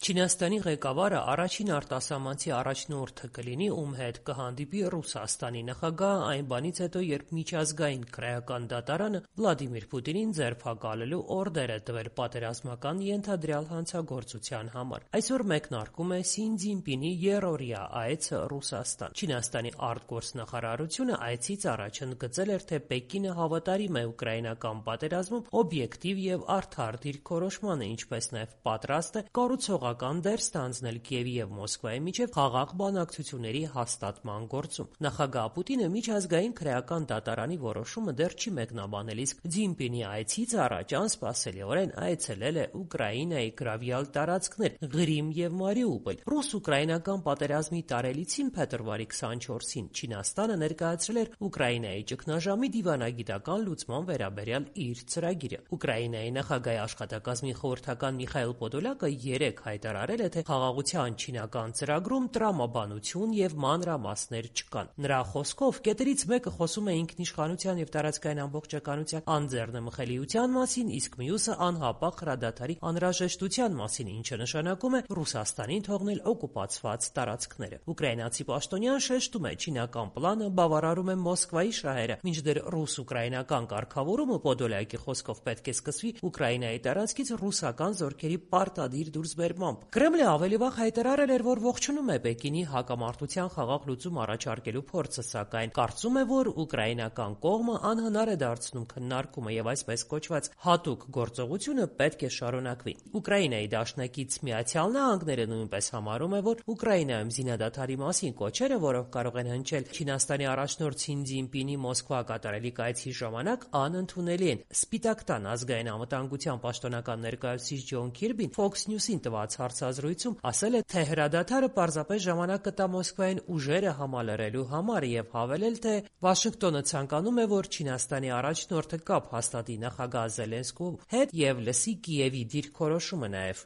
Չինաստանի ղեկավարը առաջին արտասահմանցի առաջնորդը կլինի, ում հետ կհանդիպի Ռուսաստանի նախագահը այն բանից հետո, երբ միջազգային քրեական դատարանը Վլադիմիր Պուտինին ձերբակալելու օրդեր է տվել պատերազմական ենթադրյալ հանցագործության համար։ Այսօր մեկնարկում է Սի Ցզինպինի երրորդյա այցը Ռուսաստան։ Չինաստանի արտգործնախարարությունը այցից առաջ ընդգծել էր, թե Պեկինը հավատարիմ է ուկրաինական պատերազմում օբյեկտիվ եւ արդար դիրքորոշմանը, ինչպես նաեւ պատրաստ է կառուցողական դեր ստանձնել Կիևի եւ Մոսկվայի միջեւ խաղաղ բանակցությունների հաստատման գործում։ Նախագահ Պուտինը միջազգային քրեական դատարանի որոշումը դեռ չի մեկնաբանել, իսկ Ցզինպինի այցից առաջ անսպասելիորեն այցելել է Ուկրաինայի գրավյալ տարածքներ Ղրիմ եւ Մարիուպոլ։ Ռուս-ուկրաինական պատերազմի տարելիցին փետրվարի 24-ին Չինաստանը ներկայացրել էր Ուկրաինայի ճգնաժամի դիվանագիտական լուծման վերաբերյալ իր ծրագիրը։ Ուկրաինայի նախագահի աշխատակազմի խորհրդական Միխայիլ Պոդոլյակը երեկ հայտարարել է, թե խաղաղության չինական ծրագրում տրամաբանություն եւ մանրամասներ չկան։ Նրա խոսքով կետերից մեկը խոսում է ինքնիշխանության եւ տարածքային ամբողջականության անձեռնմխելիության մասին, իսկ մյուսը անհապաղ հրադադարի անհրաժեշտության մասին, ինչը նշանակում է Ռուսաստանին թողնել օկուպացված տարածքները։ Ուկրաինացի պաշտոնյան շեշտում է, չինական պլանը բավարարում է Մոսկվայի շահերը, մինչդեռ ռուս-ուկրաինական կարգավորումը Պոդոլյակի խոսքով պետք է սկսվի Ուկրաինայի տարածքից ռուսական զորքերի պարտադիր դուրսբերմամբ։ Կրեմլը ավելի վաղ հայտարարել էր, որ ողջունում է Պեկինի հակամարտության խաղաղ լուծում առաջարկելու փորձը, սակայն կարծում է, որ ուկրաինական կողմը անհնար է դարձնում քննարկումը եւ այսպես կոչված հատուկ գործողությունը պետք է շարունակվի։ Ուկրաինայի դաշնակից Միացյալ Նահանգները նույնպես համարում է, որ Ուկրաինայում զինադադարի մասին կոչերը, որոնք կարող են հնչել Չինաստանի առաջնորդ Սի Ցզինպինի Մոսկվա կատարելիք այցի ժամանակ, անընդունելի են։ Սպիտակ տան ազգային անվտանգության պաշտոնական ներկայացուցիչ Ջոն Քիրբին Fox News-ին տված հարցազրույցում ասել է, թե հրադադարը պարզապես ժամանակ կտա Մոսկվային ուժերը համալրելու համար եւ հավելել, թե Վաշինգտոնը ցանկանում է, որ Չինաստանի առաջնորդը կապ հաստատի նախագահ Զելենսկու հետ եւ լսի Կիևի դիրքորոշումը նաեւ։